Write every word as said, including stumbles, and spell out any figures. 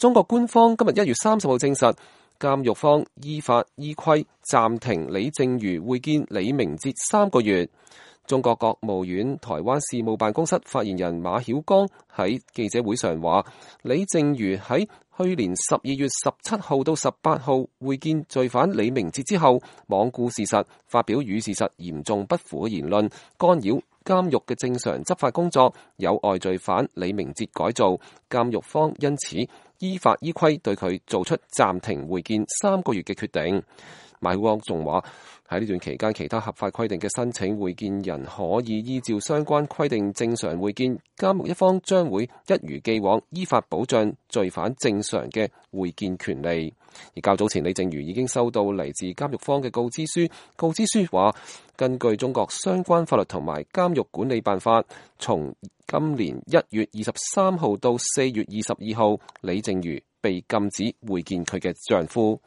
中國官方今日一月三十號證實，監獄方依法依規暫停李淨瑜會見李明哲三個月。中國國務院台灣事務辦公室發言人馬曉光喺記者會上話，李淨瑜喺去年十二月十七號到十八號會見罪犯李明哲之後，罔顧事實，發表與事實嚴重不符嘅言論，干擾監獄嘅正常執法工作，有礙罪犯李明哲改造。監獄方因此依法依規對佢做出暫停會見三個月嘅決定。馬曉光仲話，喺呢段期間，其他合法規定嘅申請會見人可以依照相關規定正常會見，監獄一方將會一如既往依法保障罪犯正常嘅會見權利。而較早前，李淨瑜已經收到嚟自監獄方嘅告知書，告知書話，根據中國相關法律同埋監獄管理辦法，從今年一月二十三號到四月二十二號，李淨瑜被禁止會見佢嘅丈夫。